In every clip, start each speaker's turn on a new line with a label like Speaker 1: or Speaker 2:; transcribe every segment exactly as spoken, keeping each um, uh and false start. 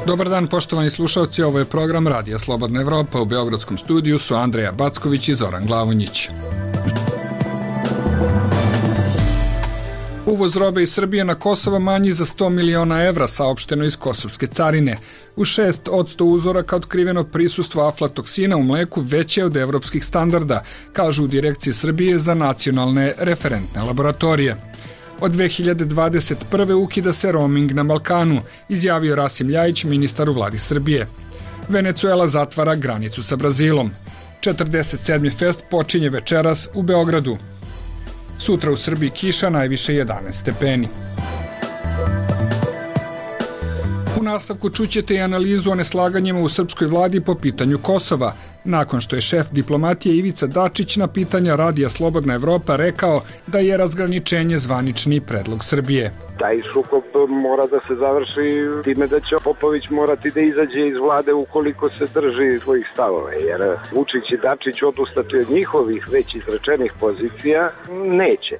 Speaker 1: Dobar dan, poštovani slušalci, ovo je program Radija Slobodna Evropa. U beogradskom studiju su Andreja Backović i Zoran Glavonjić. Uvoz robe iz Srbije na Kosovo manji za sto miliona evra, saopšteno iz kosovske carine. U šest od sto uzoraka otkriveno prisustvo aflatoksina u mleku veće od evropskih standarda, kažu u Direkciji Srbije za nacionalne referentne laboratorije. Od dve hiljade dvadeset prve ukida se roaming na Balkanu, izjavio Rasim Ljajić, ministar u vladi Srbije. Venecuela zatvara granicu sa Brazilom. četrdeset sedmi fest počinje večeras u Beogradu. Sutra u Srbiji kiša, najviše jedanaest stepeni. U nastavku čućete i analizu o neslaganjima u srpskoj vladi po pitanju Kosova, nakon što je šef diplomatije Ivica Dačić na pitanja Radija Slobodna Evropa rekao da je razgraničenje zvanični predlog Srbije.
Speaker 2: Taj sukob mora da se završi time da će Popović morati da izađe iz vlade ukoliko se drži svojih stavova, jer Vučić i Dačić odustati od njihovih već izrečenih pozicija neće.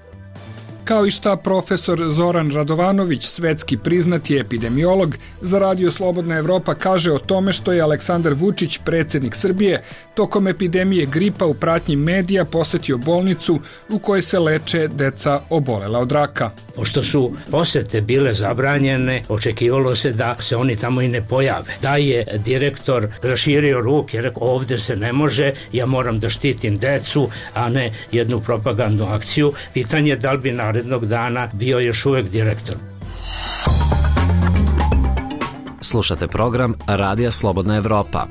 Speaker 1: Kao i šta profesor Zoran Radovanović, svetski priznati epidemiolog, za Radio Slobodna Evropa kaže o tome što je Aleksandar Vučić, predsjednik Srbije, tokom epidemije gripa u pratnji medija posetio bolnicu u kojoj se leče deca obolela od raka.
Speaker 3: Pošto su posete bile zabranjene, očekivalo se da se oni tamo i ne pojave. Da je direktor raširio ruke, rekao ovdje se ne može, ja moram da štitim decu, a ne jednu propagandnu akciju. Pitanje je da li bi narednog dana bio još uvek direktor.
Speaker 4: Slušate program Radija Slobodna Evropa.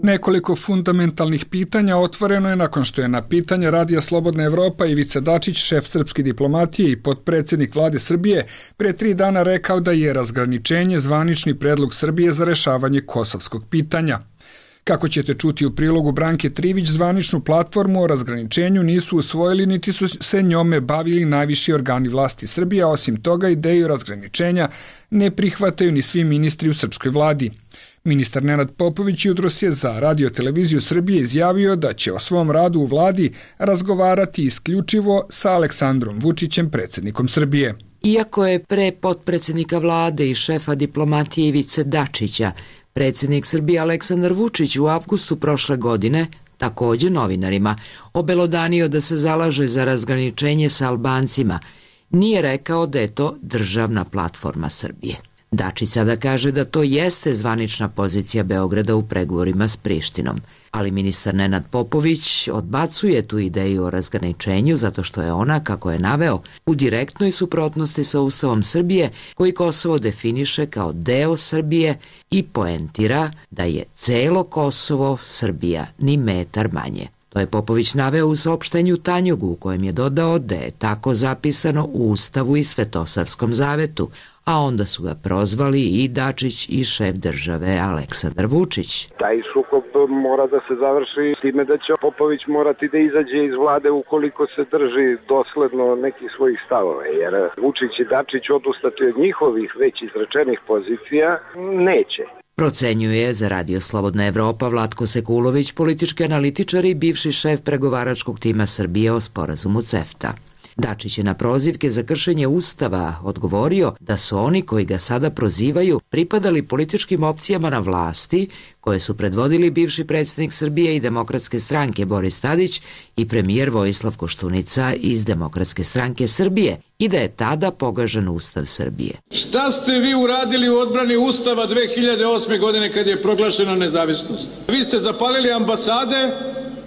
Speaker 1: Nekoliko fundamentalnih pitanja otvoreno je nakon što je na pitanje Radija Slobodna Evropa Ivica Dačić, šef srpske diplomatije i potpredsjednik vlade Srbije, pre tri dana rekao da je razgraničenje zvanični predlog Srbije za rešavanje kosovskog pitanja. Kako ćete čuti u prilogu Branke Trivić, zvaničnu platformu o razgraničenju nisu usvojili niti su se njome bavili najviši organi vlasti Srbije, a osim toga ideju razgraničenja ne prihvataju ni svi ministri u srpskoj vladi. Ministar Nenad Popović jutros je za Radio televiziju Srbije izjavio da će o svom radu u vladi razgovarati isključivo sa Aleksandrom Vučićem, predsjednikom Srbije.
Speaker 5: Iako je pre potpredsjednika vlade i šefa diplomatije Ivice Dačića predsjednik Srbije Aleksandar Vučić u avgustu prošle godine, također novinarima, obelodanio da se zalaže za razgraničenje sa Albancima, nije rekao da je to državna platforma Srbije. Dačić sada kaže da to jeste zvanična pozicija Beograda u pregovorima s Prištinom, ali ministar Nenad Popović odbacuje tu ideju o razgraničenju zato što je ona, kako je naveo, u direktnoj suprotnosti sa Ustavom Srbije koji Kosovo definiše kao deo Srbije i poentira da je celo Kosovo Srbija ni metar manje. To je Popović naveo u saopštenju Tanjugu u kojem je dodao da je tako zapisano u Ustavu i Svetosarskom zavetu, a onda su ga prozvali i Dačić i šef države Aleksandar Vučić.
Speaker 2: Taj sukob mora da se završi time da će Popović morati da izađe iz vlade ukoliko se drži dosledno nekih svojih stavova, jer Vučić i Dačić odustati od njihovih već izrečenih pozicija neće.
Speaker 5: Procenjuje za Radio Slobodna Evropa Vlatko Sekulović, politički analitičar i bivši šef pregovaračkog tima Srbije o sporazumu CEFTA. Dačić je na prozivke za kršenje Ustava odgovorio da su oni koji ga sada prozivaju pripadali političkim opcijama na vlasti koje su predvodili bivši predsjednik Srbije i Demokratske stranke Boris Tadić i premijer Vojislav Koštunica iz Demokratske stranke Srbije i da je tada pogažen Ustav Srbije.
Speaker 6: Šta ste vi uradili u odbrani Ustava dve hiljade osme. godine kad je proglašena nezavisnost? Vi ste zapalili ambasade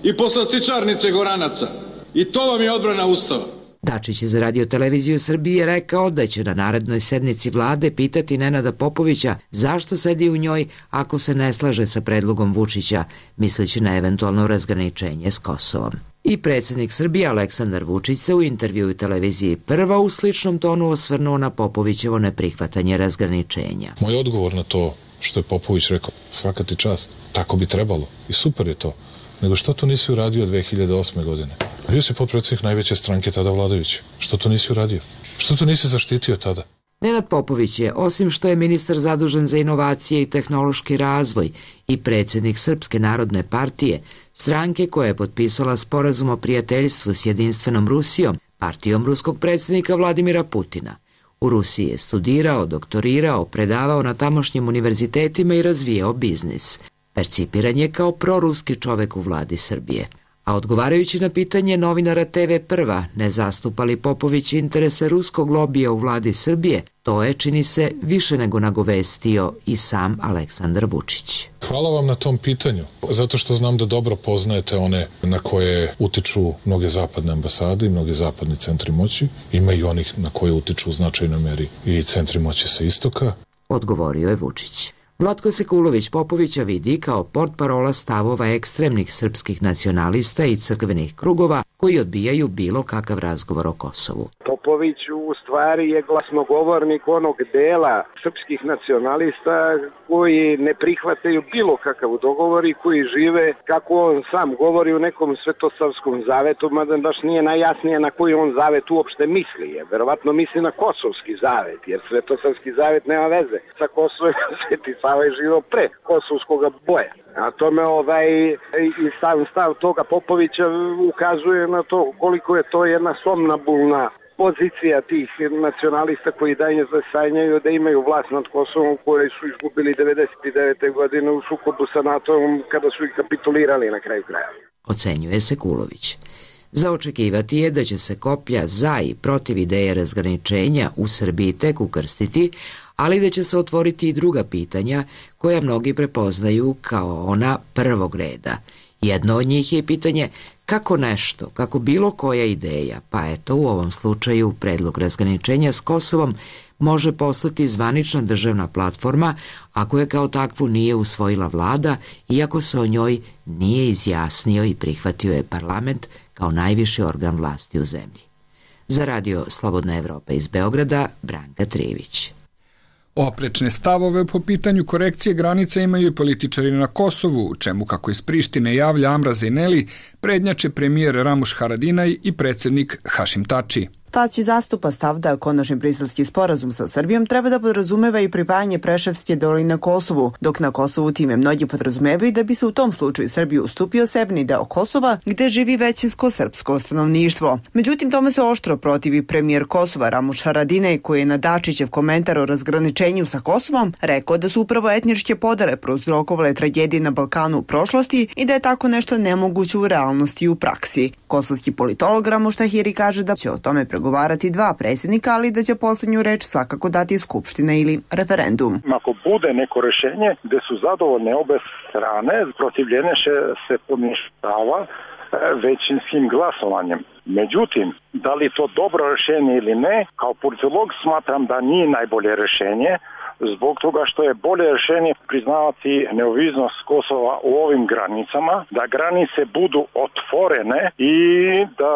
Speaker 6: i poslastičarnice Goranaca i to vam je odbrana Ustava.
Speaker 5: Dačić je za Radio televiziju Srbije rekao da će na narednoj sednici vlade pitati Nenada Popovića zašto sedi u njoj ako se ne slaže sa predlogom Vučića, misleći na eventualno razgraničenje s Kosovom. I predsjednik Srbije Aleksandar Vučić se u intervjuu televiziji Prva u sličnom tonu osvrnuo na Popovićevo neprihvatanje razgraničenja.
Speaker 7: Moj odgovor na to što je Popović rekao, svaka ti čast, tako bi trebalo i super je to, nego što to nisi uradio dve hiljade osme. godine? Bio si potpredsjednik najveće stranke tada vladajuće. Što to nisi uradio? Što to nisi zaštitio tada?
Speaker 5: Nenad Popović je, osim što je ministar zadužen za inovacije i tehnološki razvoj i predsjednik Srpske narodne partije, stranke koja je potpisala sporazum o prijateljstvu s jedinstvenom Rusijom, partijom ruskog predsjednika Vladimira Putina. U Rusiji je studirao, doktorirao, predavao na tamošnjim univerzitetima i razvijao biznis. Percipiran je kao proruski čovek u vladi Srbije. A odgovarajući na pitanje novinara te ve Prva, ne zastupa li Popović interese ruskog lobija u vladi Srbije, to je, čini se, više nego nagovestio i sam Aleksandar Vučić.
Speaker 7: Hvala vam na tom pitanju, zato što znam da dobro poznajete one na koje utiču mnoge zapadne ambasade i mnogi zapadni centri moći. Ima i onih na koje utiču u značajnoj meri i centri moći sa istoka.
Speaker 5: Odgovorio je Vučić. Vlatko Sekulović Popovića vidi kao portparola stavova ekstremnih srpskih nacionalista i crkvenih krugova koji odbijaju bilo kakav razgovor o Kosovu.
Speaker 2: Popović u stvari je glasnogovornik onog dela srpskih nacionalista koji ne prihvataju bilo kakav dogovor i koji žive, kako on sam govori, u nekom svetosavskom zavetu, mada baš nije najjasnije na koji on zavet uopšte misli. Je. Verovatno misli na kosovski zavet, jer svetosavski zavet nema veze sa Kosovom. Sveti Sava je živio pre kosovskog boja. A tome ovaj, i stav, stav toga Popovića ukazuje na to koliko je to jedna somnambulna pozicija tih nacionalista koji dalje zasanjaju da imaju vlast nad Kosovom, koje su izgubili devedeset devete godine u sukobu sa NATO-om kada su ih kapitulirali na kraju kraja.
Speaker 5: Ocenjuje Sekulović. Za očekivati je da će se koplja za i protiv ideje razgraničenja u Srbiji tek ukrstiti, ali da će se otvoriti i druga pitanja koja mnogi prepoznaju kao ona prvog reda. Jedno od njih je pitanje kako nešto, kako bilo koja ideja, pa eto u ovom slučaju predlog razgraničenja s Kosovom, može postati zvanična državna platforma ako je kao takvu nije usvojila vlada, iako se o njoj nije izjasnio i prihvatio je parlament kao najviši organ vlasti u zemlji. Za Radio Slobodna Evropa iz Beograda, Branka Trivić.
Speaker 1: Oprečne stavove po pitanju korekcije granica imaju i političari na Kosovu, u čemu, kako iz Prištine javlja Amra Zeneli, prednjače premijer Ramuš Haradinaj i predsjednik Hašim Tači.
Speaker 8: Tači zastupa stav da konačni briselski sporazum sa Srbijom treba da podrazumeva i pripajanje Preševske doline Kosovu, dok na Kosovu time mnogi podrazumevaju da bi se u tom slučaju Srbiju ustupio severni deo Kosova, gde živi većinsko srpsko stanovništvo. Međutim, tome se oštro protivi premijer Kosova Ramuš Haradinaj, koji je na Dačićev komentar o razgraničenju sa Kosovom rekao da su upravo etničke podele prouzrokovale tragedije na Balkanu u prošlosti i da je tako nešto nemoguće u realnosti i u praksi. Kosovski politolog Ramuš Tahiri kaže da će o tome pregovarati dva predsjednika, ali da će poslednju reč svakako dati Skupština ili referendum.
Speaker 9: Ako bude neko rešenje gde su zadovoljne obe strane, protivljenje se poništava većinskim glasovanjem. Međutim, da li to dobro rešenje ili ne, kao politolog smatram da nije najbolje rešenje, zbog toga što je bolje rešenje priznavati neovisnost Kosova u ovim granicama, da granice budu otvorene i da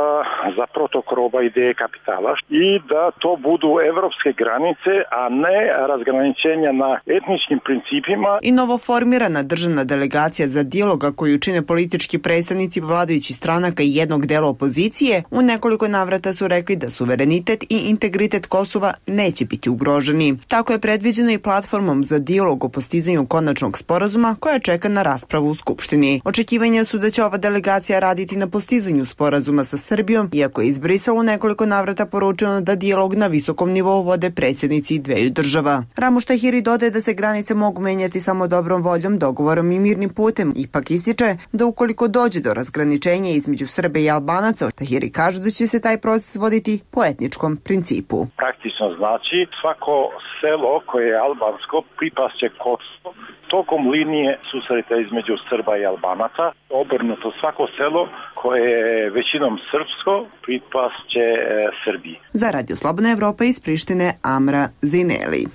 Speaker 9: za protok roba ideje kapitala i da to budu evropske granice, a ne razgraničenja na etničkim principima.
Speaker 8: I novoformirana državna delegacija za dijaloga koju čine politički predstavnici vladajućih stranaka i jednog dela opozicije u nekoliko navrata su rekli da suverenitet i integritet Kosova neće biti ugroženi. Tako je predviđeno i platformom za dijalog o postizanju konačnog sporazuma koja čeka na raspravu u Skupštini. Očekivanja su da će ova delegacija raditi na postizanju sporazuma sa Srbijom, iako je iz Brisela u nekoliko navrata poručeno da dijalog na visokom nivou vode predsjednici dveju država. Ramuš Tahiri dodaje da se granice mogu menjati samo dobrom voljom, dogovorom i mirnim putem. Ipak ističe da ukoliko dođe do razgraničenja između Srbe i Albanaca, Tahiri kaže da će se taj proces voditi po etničkom principu.
Speaker 9: Praktično znači svako selo koje je albansko pripasće Kosovo tokom linije susreta između Srba i Albanaca. Obrnuto, svako selo koje je većinom srpsko pripasće Srbiji.
Speaker 8: Za Radio Slobodna Evropa iz Prištine, Amra Zineli.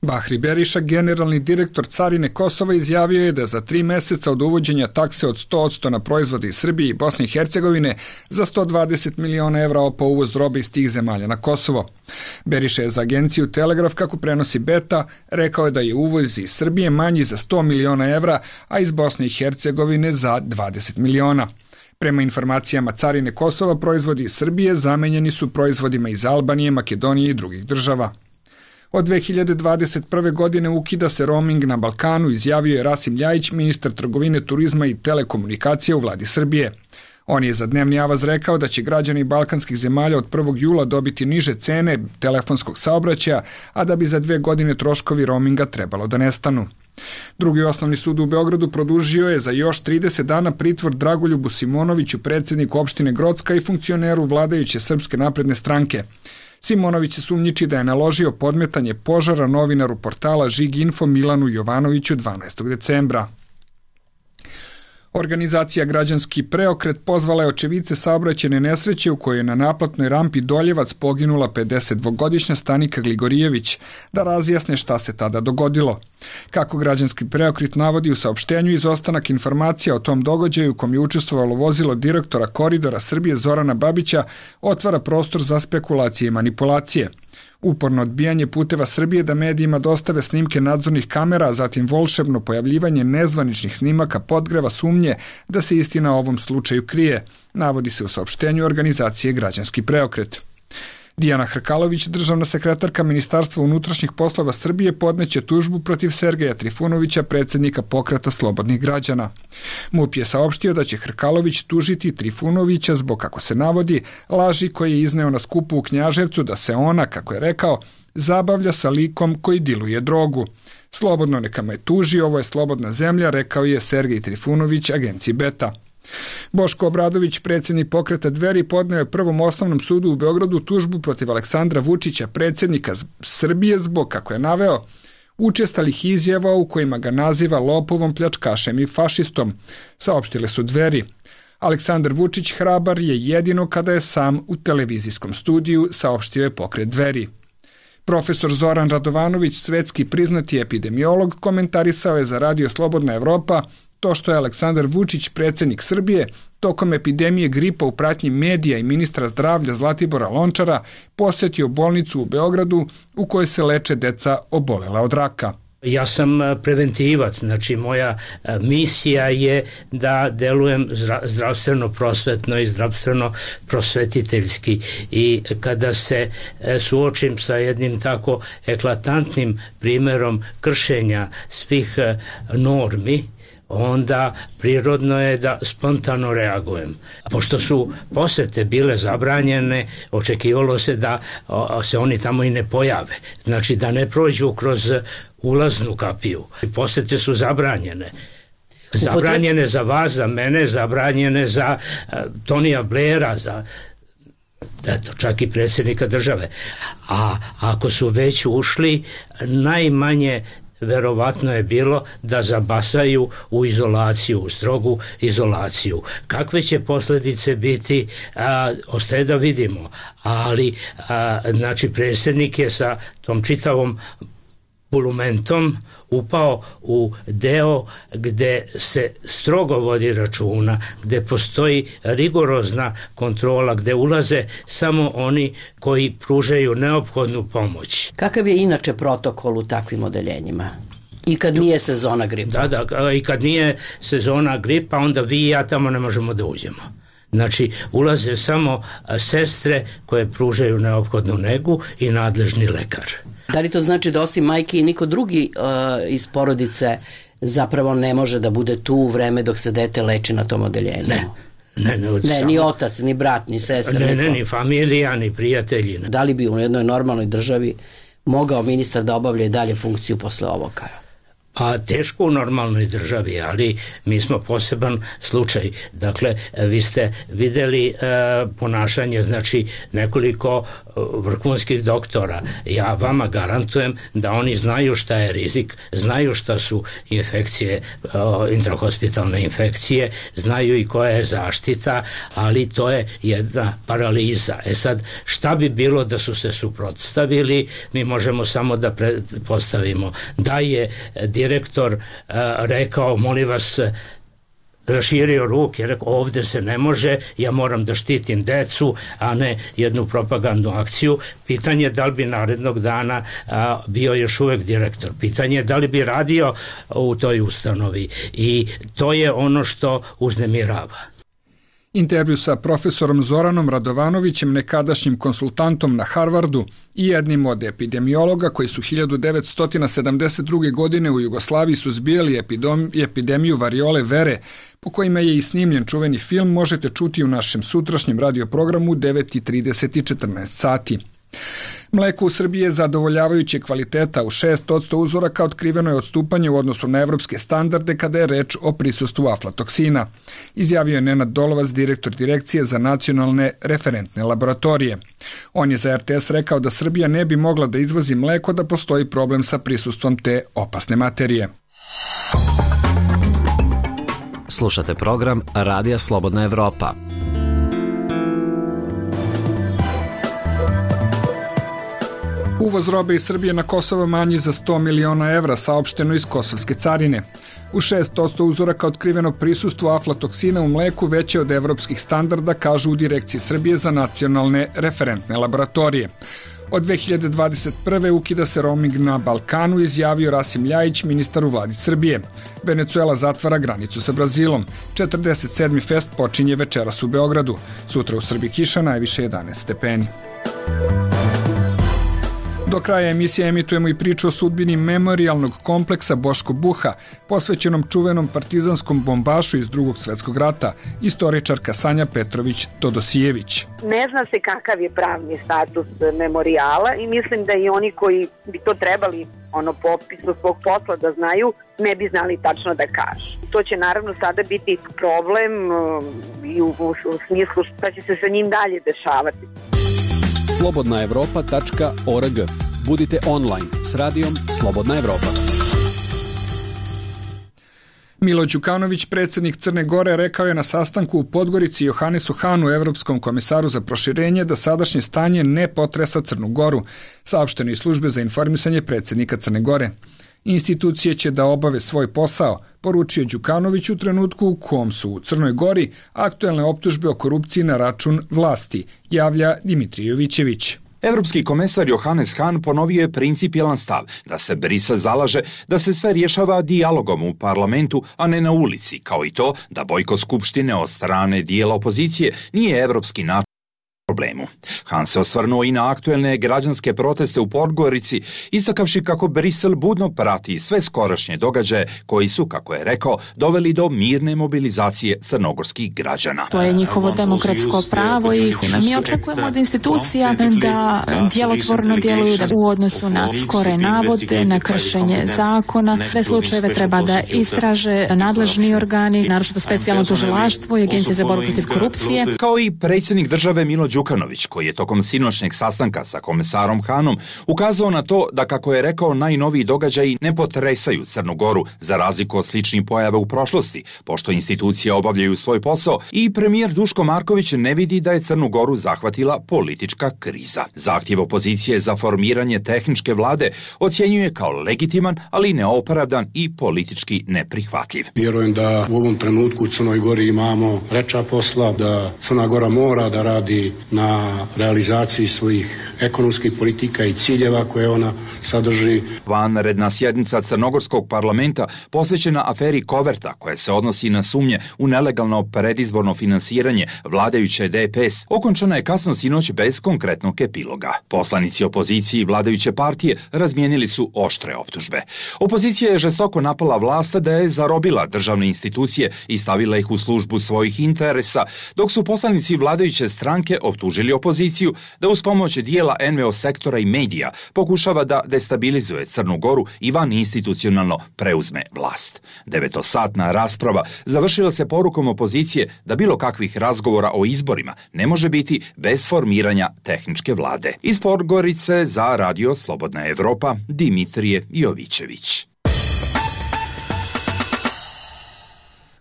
Speaker 1: Bahri Beriša, generalni direktor Carine Kosova, izjavio je da za tri meseca od uvođenja takse od sto posto na proizvode iz Srbije i Bosne i Hercegovine za sto dvadeset miliona evra po uvoz robe iz tih zemalja na Kosovo. Beriša je za agenciju Telegraf, kako prenosi Beta, rekao je da je uvoz iz Srbije manji za sto miliona evra, a iz Bosne i Hercegovine za dvadeset miliona. Prema informacijama Carine Kosova, proizvodi iz Srbije zamenjeni su proizvodima iz Albanije, Makedonije i drugih država. Od dve hiljade dvadeset prve. godine ukida se roaming na Balkanu, izjavio je Rasim Ljajić, ministar trgovine, turizma i telekomunikacije u vladi Srbije. On je za Dnevni avaz rekao da će građani balkanskih zemalja od prvog jula dobiti niže cene telefonskog saobraćaja, a da bi za dve godine troškovi roaminga trebalo da nestanu. Drugi osnovni sud u Beogradu produžio je za još trideset dana pritvor Dragoljubu Simonoviću, predsjedniku opštine Grocka i funkcioneru vladajuće Srpske napredne stranke. Simonović se sumnjiči da je naložio podmetanje požara novinaru portala Žig Info Milanu Jovanoviću dvanaestog decembra. Organizacija Građanski preokret pozvala je očevice saobraćajne nesreće u kojoj je na naplatnoj rampi Doljevac poginula pedesetdvogodišnja Stanika Gligorijević da razjasne šta se tada dogodilo. Kako Građanski preokret navodi u saopštenju, izostanak informacija o tom događaju u kom je učestvovalo vozilo direktora Koridora Srbije Zorana Babića otvara prostor za spekulacije i manipulacije. Uporno odbijanje Puteva Srbije da medijima dostave snimke nadzornih kamera, a zatim volšebno pojavljivanje nezvaničnih snimaka podgreva sumnje da se istina o ovom slučaju krije, navodi se u saopštenju organizacije Građanski preokret. Dijana Hrkalović, državna sekretarka Ministarstva unutrašnjih poslova Srbije, podneće tužbu protiv Sergeja Trifunovića, predsjednika Pokreta slobodnih građana. MUP je saopštio da će Hrkalović tužiti Trifunovića zbog, kako se navodi, laži koje je izneo na skupu u Knjaževcu da se ona, kako je rekao, zabavlja sa likom koji diluje drogu. Slobodno neka me tuži, ovo je slobodna zemlja, rekao je Sergej Trifunović agenciji Beta. Boško Obradović, predsjednik Pokreta Dveri, podneo je Prvom osnovnom sudu u Beogradu tužbu protiv Aleksandra Vučića, predsjednika Srbije, zbog, kako je naveo, učestalih izjava u kojima ga naziva lopovom, pljačkašem i fašistom, saopštile su Dveri. Aleksandar Vučić hrabar je jedino kada je sam u televizijskom studiju, saopštio je Pokret Dveri. Profesor Zoran Radovanović, svetski priznati epidemiolog, komentarisao je za Radio Slobodna Evropa to što je Aleksandar Vučić, predsjednik Srbije, tokom epidemije gripa u pratnji medija i ministra zdravlja Zlatibora Lončara posjetio bolnicu u Beogradu u kojoj se leče deca obolela od raka.
Speaker 3: Ja sam preventivac, znači moja misija je da delujem zdravstveno prosvetno i zdravstveno prosvetiteljski, i kada se suočim sa jednim tako eklatantnim primjerom kršenja svih normi, onda prirodno je da spontano reagujem. Pošto su posete bile zabranjene, očekivalo se da se oni tamo i ne pojave. Znači da ne prođu kroz ulaznu kapiju. Posete su zabranjene. Zabranjene za vas, za mene, zabranjene za uh, Tonija Blaira, za eto, čak i predsjednika države. A ako su već ušli, najmanje verovatno je bilo da zabasaju u izolaciju, u strogu izolaciju. Kakve će posljedice biti, a, ostaje da vidimo. Ali, a, znači, predsjednik je sa tom čitavom bulumentom upao u deo gde se strogo vodi računa, gde postoji rigorozna kontrola, gde ulaze samo oni koji pružaju neophodnu pomoć.
Speaker 10: Kakav je inače protokol u takvim odeljenjima? I kad nije sezona gripa?
Speaker 3: Da, da, i kad nije sezona gripa, onda vi i ja tamo ne možemo da uđemo. Znači, ulaze samo sestre koje pružaju neophodnu negu i nadležni lekar.
Speaker 10: Da li to znači da osim majke i niko drugi uh, iz porodice zapravo ne može da bude tu u vreme dok se dete leči na tom odeljenju?
Speaker 3: Ne. Ne, ne,
Speaker 10: ne
Speaker 3: samo...
Speaker 10: ni otac, ni brat, ni sestra.
Speaker 3: Ne, ne, ni familija, ni prijatelji. Ne.
Speaker 10: Da li bi u jednoj normalnoj državi mogao ministar da obavlja i dalje funkciju posle ovoga?
Speaker 3: A teško u normalnoj državi, ali mi smo poseban slučaj. Dakle, vi ste videli e, ponašanje, znači nekoliko vrhunskih doktora. Ja vama garantujem da oni znaju šta je rizik, znaju šta su infekcije, intrahospitalne infekcije, znaju i koja je zaštita, ali to je jedna paraliza. E sad, šta bi bilo da su se suprotstavili? Mi možemo samo da pretpostavimo da je direktor uh, rekao, molim vas, raširio ruke, rekao, ovdje se ne može, ja moram da štitim decu, a ne jednu propagandnu akciju. Pitanje je da li bi narednog dana a, bio još uvek direktor. Pitanje je da li bi radio u toj ustanovi. I to je ono što uznemirava.
Speaker 1: Intervju sa profesorom Zoranom Radovanovićem, nekadašnjim konsultantom na Harvardu i jednim od epidemiologa koji su hiljadu devetsto sedamdeset druge. godine u Jugoslaviji suzbijali epidemiju variole vere, po kojima je i snimljen čuveni film, možete čuti u našem sutrašnjem radioprogramu u devet i trideset i četrnaest sati. Mleko u Srbiji je zadovoljavajuće kvaliteta, u šest posto uzoraka otkriveno je odstupanje u odnosu na evropske standarde kada je reč o prisustvu aflatoksina, izjavio je Nenad Dolovac, direktor Direkcije za nacionalne referentne laboratorije. On je za er te es rekao da Srbija ne bi mogla da izvozi mleko da postoji problem sa prisustvom te opasne materije.
Speaker 4: Slušate program Radija Slobodna Evropa.
Speaker 1: Uvoz robe iz Srbije na Kosovo manji za sto miliona evra, saopšteno iz kosovske carine. U šest posto uzoraka otkriveno prisustvo aflatoksina u mleku veće od evropskih standarda, kažu u Direkciji Srbije za nacionalne referentne laboratorije. Od dve hiljade dvadeset prve. ukida se roaming na Balkanu, izjavio Rasim Ljajić, ministar u vladi Srbije. Venecuela zatvara granicu sa Brazilom. četrdeset sedmi fest počinje večeras u Beogradu. Sutra u Srbiji kiša, najviše jedanaest stepeni. Do kraja emisije emitujemo i priču o sudbini memorijalnog kompleksa Boško Buha, posvećenom čuvenom partizanskom bombašu iz Drugog svetskog rata, istoričarka Sanja Petrović-Todosijević.
Speaker 11: Ne zna se kakav je pravni status memorijala i mislim da i oni koji bi to trebali ono po opisu svog posla da znaju, ne bi znali tačno da kažu. To će naravno sada biti problem i u, u, u smislu šta će se sa njim dalje dešavati.
Speaker 12: slobodna evropa tačka org. Budite online s radijom Slobodna Evropa.
Speaker 1: Milo Đukanović, predsjednik Crne Gore, rekao je na sastanku u Podgorici Johanesu Hanu, evropskom komisaru za proširenje, da sadašnje stanje ne potresa Crnu Goru, saopšteno iz službe za informisanje predsjednika Crne Gore. Institucije će da obave svoj posao, poručio Đukanović u trenutku u kom su u Crnoj Gori aktuelne optužbe o korupciji na račun vlasti, javlja Dimitrij Jovićević.
Speaker 13: Evropski komesar Johannes Hahn ponovio je principijelan stav da se Brisel zalaže da se sve rješava dijalogom u parlamentu, a ne na ulici, kao i to da bojkot skupštine od strane dijela opozicije nije evropski način problemu. Han se osvrnuo i na aktuelne građanske proteste u Podgorici, istakavši kako Brisel budno prati sve skorašnje događaje koji su, kako je rekao, doveli do mirne mobilizacije crnogorskih građana.
Speaker 14: To je njihovo demokratsko pravo i mi očekujemo od institucija da djelotvorno djeluju u odnosu na skore navode, na kršenje zakona. Sve slučajeve treba da istraže nadležni organi, naročito specijalno tužilaštvo i Agencija za borbu protiv korupcije.
Speaker 13: Kao i predsjednik države Milo Đukanović, koji je tokom sinoćnjeg sastanka sa komesarom Hanom ukazao na to da, kako je rekao, najnoviji događaji ne potresaju Crnu Goru za razliku od sličnih pojava u prošlosti, pošto institucije obavljaju svoj posao i premijer Duško Marković ne vidi da je Crnu Goru zahvatila politička kriza. Zahtjev opozicije za formiranje tehničke vlade ocjenjuje kao legitiman, ali neopravdan i politički neprihvatljiv.
Speaker 15: Vjerujem da u ovom trenutku u Crnoj Gori imamo preča posla, da Crna Gora mora da radi na realizaciji svojih ekonomskih politika i ciljeva koje ona sadrži.
Speaker 13: Vanredna sjednica Crnogorskog parlamenta posvećena aferi Koverta, koja se odnosi na sumnje u nelegalno predizborno finansiranje vladajuće de pe es, okončana je kasno sinoć bez konkretnog epiloga. Poslanici opozicije i vladajuće partije razmijenili su oštre optužbe. Opozicija je žestoko napala vlast da je zarobila državne institucije i stavila ih u službu svojih interesa, dok su poslanici vladajuće stranke optužili opoziciju da uz pomoć dijela en ve o sektora i medija pokušava da destabilizuje Crnu Goru i van institucionalno preuzme vlast. Devetosatna rasprava završila se porukom opozicije da bilo kakvih razgovora o izborima ne može biti bez formiranja tehničke vlade. Iz Podgorice za Radio Slobodna Evropa, Dimitrije Jovićević.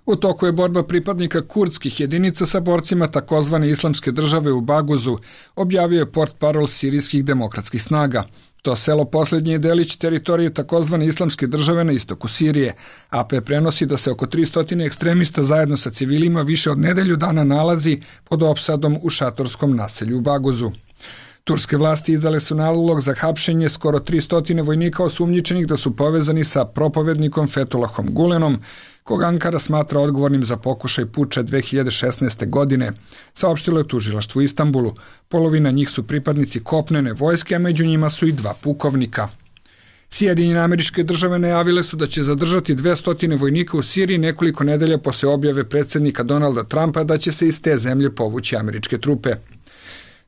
Speaker 1: U toku je borba pripadnika kurdskih jedinica sa borcima takozvane islamske države u Baguzu, objavio je portparol sirijskih demokratskih snaga. To selo posljednji je delić teritorije takozvane islamske države na istoku Sirije. a pe prenosi da se oko tristo ekstremista zajedno sa civilima više od nedelju dana nalazi pod opsadom u šatorskom naselju u Baguzu. Turske vlasti izdale su nalog za hapšenje skoro tristo vojnika osumnjičenih da su povezani sa propovednikom Fethullahom Gulenom, kog Ankara smatra odgovornim za pokušaj puča dve hiljade šesnaeste. godine, saopštilo je tužilaštvo u Istanbulu. Polovina njih su pripadnici kopnene vojske, a među njima su i dva pukovnika. Sjedinjene Američke Države najavile su da će zadržati dvesta vojnika u Siriji nekoliko nedelja posle objave predsjednika Donalda Trumpa da će se iz te zemlje povući američke trupe.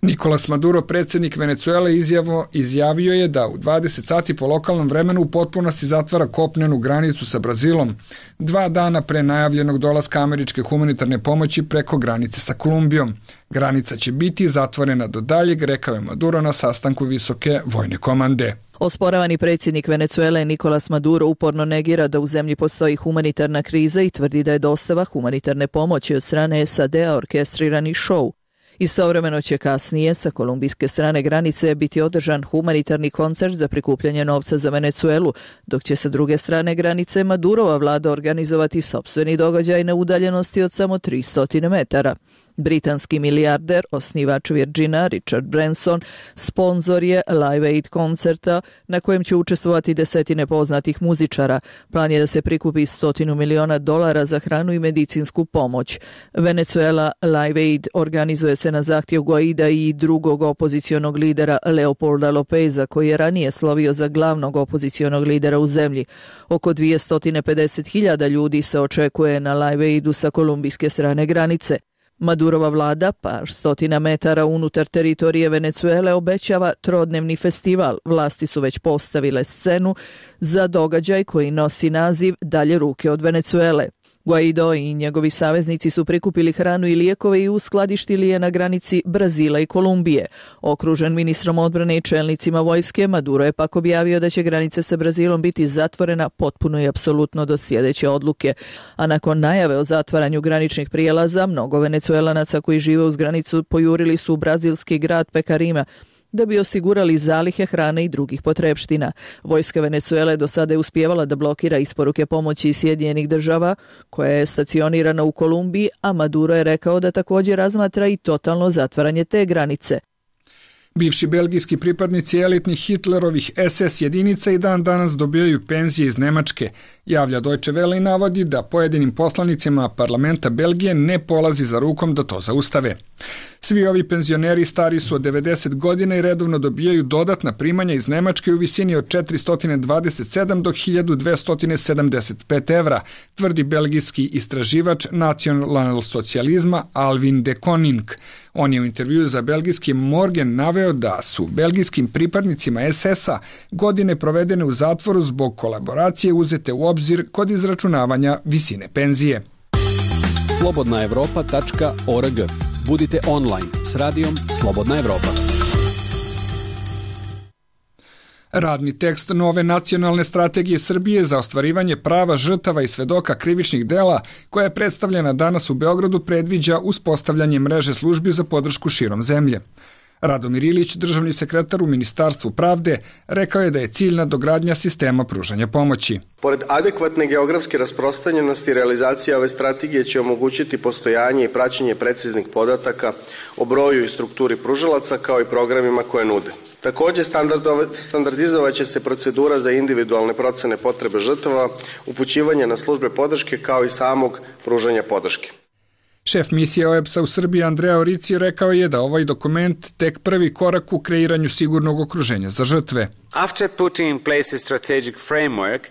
Speaker 1: Nicolas Maduro, predsjednik Venecuele, izjavo, izjavio je da u dvadeset sati po lokalnom vremenu u potpunosti zatvara kopnenu granicu sa Brazilom, dva dana pre najavljenog dolaska američke humanitarne pomoći preko granice sa Kolumbijom. Granica će biti zatvorena do daljeg, rekao je Maduro na sastanku visoke vojne komande.
Speaker 16: Osporavani predsjednik Venecuele Nicolas Maduro uporno negira da u zemlji postoji humanitarna kriza i tvrdi da je dostava humanitarne pomoći od strane S A D-a orkestrirani šou. Istovremeno će kasnije sa kolumbijske strane granice biti održan humanitarni koncert za prikupljanje novca za Venecuelu, dok će sa druge strane granice Madurova vlada organizovati sopstveni događaj na udaljenosti od samo tristo metara. Britanski milijarder, osnivač Virgina, Richard Branson, sponzor je Live Aid koncerta na kojem će učestvovati desetine poznatih muzičara. Plan je da se prikupi stotinu miliona dolara za hranu i medicinsku pomoć. Venezuela Live Aid organizuje se na zahtjev Guaida i drugog opozicionog lidera Leopolda Lopeza, koji je ranije slovio za glavnog opozicionog lidera u zemlji. Oko dvjesto pedeset hiljada ljudi se očekuje na Live Aidu sa kolumbijske strane granice. Madurova vlada, par stotina metara unutar teritorije Venecuele, obećava trodnevni festival. Vlasti su već postavile scenu za događaj koji nosi naziv Dalje ruke od Venecuele. Guaido i njegovi saveznici su prikupili hranu i lijekove i uskladištili je na granici Brazila i Kolumbije. Okružen ministrom odbrane i čelnicima vojske, Maduro je pak objavio da će granica sa Brazilom biti zatvorena potpuno i apsolutno do sljedeće odluke. A nakon najave o zatvaranju graničnih prijelaza, mnogo Venecuelanaca koji žive uz granicu pojurili su u brazilski grad Pekarima, da bi osigurali zalihe hrane i drugih potrepština. Vojska Venecuele do sada je uspijevala da blokira isporuke pomoći iz Sjedinjenih Država, koja je stacionirana u Kolumbiji, a Maduro je rekao da također razmatra i totalno zatvaranje te granice.
Speaker 1: Bivši belgijski pripadnici elitnih Hitlerovih S S jedinica i dan danas dobijaju penzije iz Nemačke, javlja Deutsche Welle i navodi da pojedinim poslanicima parlamenta Belgije ne polazi za rukom da to zaustave. Svi ovi penzioneri stari su od devedeset godina i redovno dobijaju dodatna primanja iz Nemačke u visini od četiristo dvadeset sedam do hiljadu dvesta sedamdeset pet evra, tvrdi belgijski istraživač nacionalsocijalizma Alvin de Koning. On je u intervjuu za belgijski Morgen naveo da su belgijskim pripadnicima S S-a godine provedene u zatvoru zbog kolaboracije uzete u obzir kod izračunavanja visine penzije.
Speaker 12: slobodna evropa tačka org. Budite online s radijom Slobodna Evropa.
Speaker 1: Radni tekst nove nacionalne strategije Srbije za ostvarivanje prava žrtava i svedoka krivičnih dela, koja je predstavljena danas u Beogradu, predviđa uspostavljanje mreže službi za podršku širom zemlje. Radomir Ilić, državni sekretar u Ministarstvu pravde, rekao je da je cilj nadogradnja sistema pružanja pomoći.
Speaker 17: Pored adekvatne geografske rasprostranjenosti, realizacija ove strategije će omogućiti postojanje i praćenje preciznih podataka o broju i strukturi pružalaca kao i programima koje nude. Također standardizovat će se procedura za individualne procene potrebe žrtava, upućivanje na službe podrške kao i samog pružanja podrške.
Speaker 1: Šef misije O E B S-a u Srbiji Andrea Orici rekao je da ovaj dokument tek prvi korak u kreiranju sigurnog okruženja za žrtve.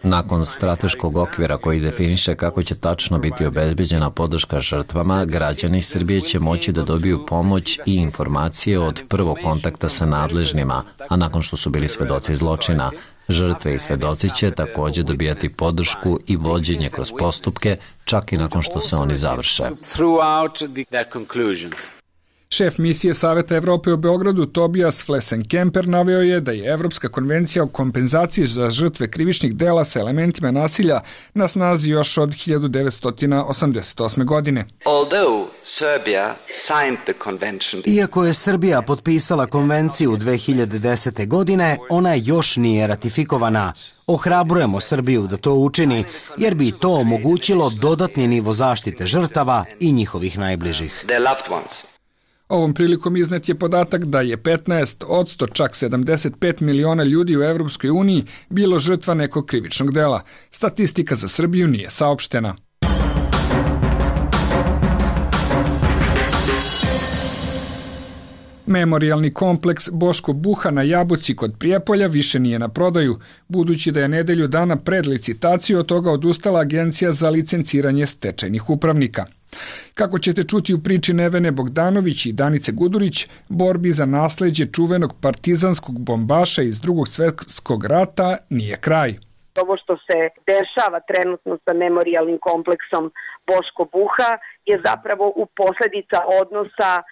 Speaker 4: Nakon strateškog okvira koji definiše kako će tačno biti obezbeđena podrška žrtvama, građani Srbije će moći da dobiju pomoć i informacije od prvog kontakta sa nadležnima, a nakon što su bili svedoci zločina. Žrtve i svedoci će također dobijati podršku i vođenje kroz postupke, čak i nakon što se oni završe.
Speaker 1: Šef misije Saveta Evrope u Beogradu Tobias Flesenkemper naveo je da je Evropska konvencija o kompenzaciji za žrtve krivičnih dela sa elementima nasilja na snazi još od hiljadu devetsto osamdeset osme. godine.
Speaker 18: Iako je Srbija potpisala konvenciju dve hiljade desete. godine, ona još nije ratifikovana. Ohrabrujemo Srbiju da to učini, jer bi to omogućilo dodatni nivo zaštite žrtava i njihovih najbližih.
Speaker 1: Ovom prilikom iznet je podatak da je petnaest odsto, čak sedamdeset pet miliona ljudi u Evropskoj uniji bilo žrtva nekog krivičnog dela. Statistika za Srbiju nije saopštena. Memorijalni kompleks Boško Buha na Jabuci kod Prijepolja više nije na prodaju, budući da je nedelju dana pred licitaciju od toga odustala Agencija za licenciranje stečajnih upravnika. Kako ćete čuti u priči Nevene Bogdanović i Danice Gudurić, borbi za nasleđe čuvenog partizanskog bombaša iz Drugog svjetskog rata nije kraj.
Speaker 11: Ovo što se dešava trenutno sa memorijalnim kompleksom Boško Buha je zapravo u posledica odnosa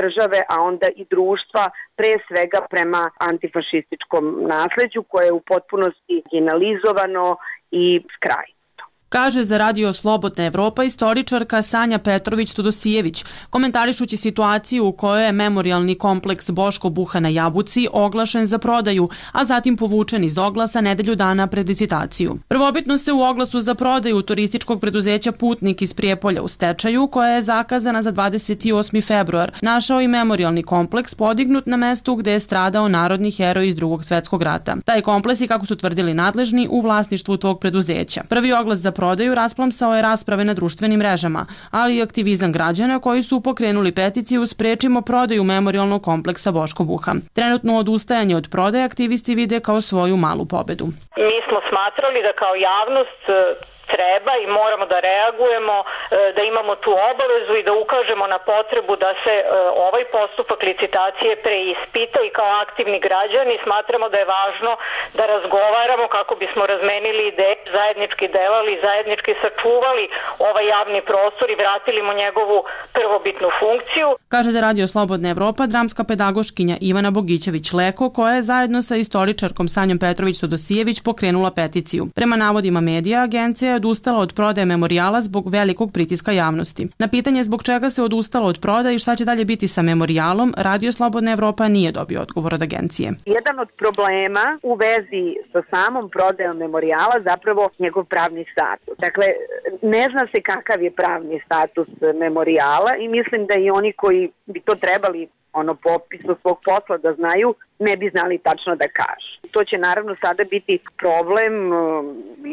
Speaker 11: države, a onda i društva, pre svega prema antifašističkom nasleđu koje je u potpunosti marginalizovano i skrajno.
Speaker 19: Kaže za Radio Slobodna Evropa istoričarka Sanja Petrović-Tudosijević, komentarišući situaciju u kojoj je memorijalni kompleks Boško Buha na Jabuci oglašen za prodaju, a zatim povučen iz oglasa nedelju dana pred licitaciju. Prvobitno se u oglasu za prodaju turističkog preduzeća Putnik iz Prijepolja u stečaju, koja je zakazana za dvadeset osmi februar, našao i memorijalni kompleks podignut na mestu gde je stradao narodni heroj iz Drugog svjetskog rata. Taj kompleks je, kako su tvrdili nadležni, u vlasništvu tog preduzeća. Prvi oglas za prodaju rasplamsao je rasprave na društvenim mrežama, ali i aktivizam građana koji su pokrenuli peticiju Sprečimo prodaju memorijalnog kompleksa Boško Buha. Trenutno odustajanje od prodaje aktivisti vide kao svoju malu pobedu.
Speaker 20: Mi smo smatrali da kao javnost treba i moramo da reagujemo, da imamo tu obavezu i da ukažemo na potrebu da se ovaj postupak licitacije preispita i kao aktivni građani smatramo da je važno da razgovaramo kako bismo razmenili ideje, zajednički delali, zajednički sačuvali ovaj javni prostor i vratili mu njegovu prvobitnu funkciju.
Speaker 19: Kaže za Radio Slobodna Evropa dramska pedagoškinja Ivana Bogićević-Leko, koja je zajedno sa istoričarkom Sanjom Petrović-Tudosijević pokrenula peticiju. Prema navodima medija, agencija je odustala od prodaje memorijala zbog velikog pritiska javnosti. Na pitanje zbog čega se odustalo od prodaje i šta će dalje biti sa memorijalom, Radio Slobodna Evropa nije dobio odgovor od agencije.
Speaker 11: Jedan od problema u vezi sa samom prodajom memorijala zapravo njegov pravni status. Dakle, ne zna se kakav je pravni status memorijala i mislim da i oni koji bi to trebali ono po opisu svog posla da znaju, ne bi znali tačno da kažu. To će naravno sada biti problem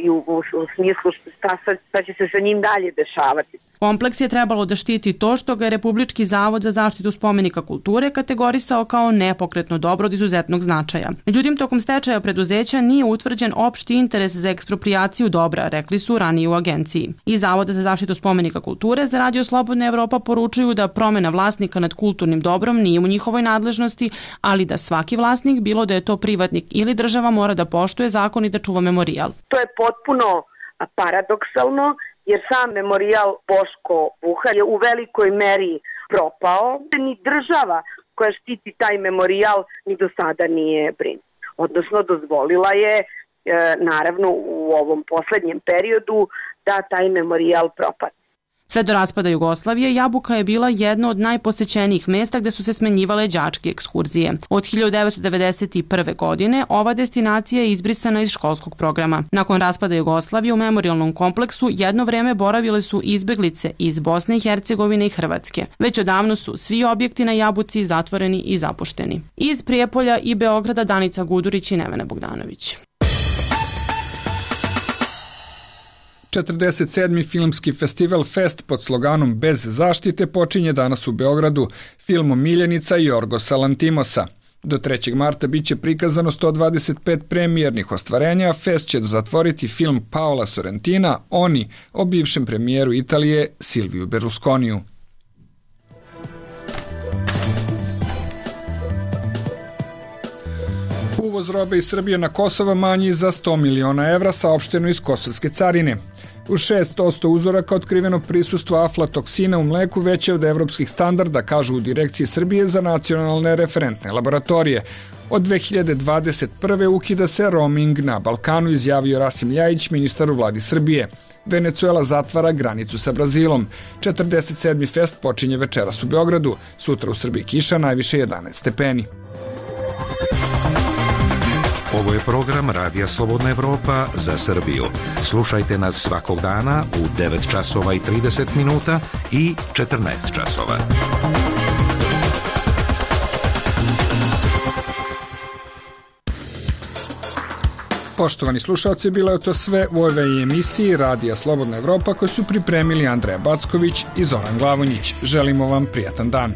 Speaker 11: i u, u, u smislu šta, šta će se sa njim dalje dešavati.
Speaker 19: Kompleks je trebalo da štiti to što ga je Republički zavod za zaštitu spomenika kulture kategorisao kao nepokretno dobro od izuzetnog značaja. Međutim, tokom stečaja preduzeća nije utvrđen opšti interes za eksproprijaciju dobra, rekli su ranije u agenciji. I Zavoda za zaštitu spomenika kulture za Radio Slobodna Evropa poručuju da promena vlasnika nad kulturnim dobrom nije u njihovoj nadležnosti, ali da svaki vlasnik, bilo da je to privatnik ili država, mora da poštuje zakon i da čuva memorijal.
Speaker 11: To je potpuno paradoksalno, jer sam memorijal Boško Buha je u velikoj meri propao. Ni država koja štiti taj memorijal ni do sada nije brinuta. Odnosno, dozvolila je, e, naravno, u ovom poslednjem periodu da taj memorijal propadne.
Speaker 19: Sve do raspada Jugoslavije, Jabuka je bila jedno od najposećenijih mesta gde su se smenjivale đačke ekskurzije. Od hiljadu devetsto devedeset prve. godine ova destinacija je izbrisana iz školskog programa. Nakon raspada Jugoslavije u memorijalnom kompleksu jedno vreme boravile su izbeglice iz Bosne i Hercegovine i Hrvatske. Već odavno su svi objekti na Jabuci zatvoreni i zapušteni. Iz Prijepolja i Beograda Danica Gudurić i Nevena Bogdanović.
Speaker 1: četrdeset sedmi filmski festival Fest pod sloganom Bez zaštite počinje danas u Beogradu filmom Miljenica Jorgosa Lantimosa. Do trećeg marta biće prikazano sto dvadeset pet premijernih ostvarenja, Fest će zatvoriti film Paola Sorrentina Oni o bivšem premijeru Italije Silviju Berlusconiju. Uvoz robe iz Srbije na Kosovo manji za sto miliona evra, saopšteno iz Kosovske carine. U šest posto uzoraka otkriveno prisustvo aflatoksina u mleku veće od evropskih standarda, kažu u Direkciji Srbije za nacionalne referentne laboratorije. Od dve hiljade dvadeset prve. ukida se roaming na Balkanu, izjavio Rasim Ljajić, ministar u vladi Srbije. Venecuela zatvara granicu sa Brazilom. četrdeset sedmi fest počinje večeras u Beogradu. Sutra u Srbiji kiša, najviše jedanaest stepeni.
Speaker 21: Ovo je program Radija Slobodna Evropa za Srbiju. Slušajte nas svakog dana u devet časova i trideset minuta i četrnaest časova.
Speaker 1: Poštovani slušalci, bilo je to sve u ovoj emisiji Radija Slobodna Evropa koju su pripremili Andreja Backović i Zoran Glavonjić. Želimo vam prijatan dan.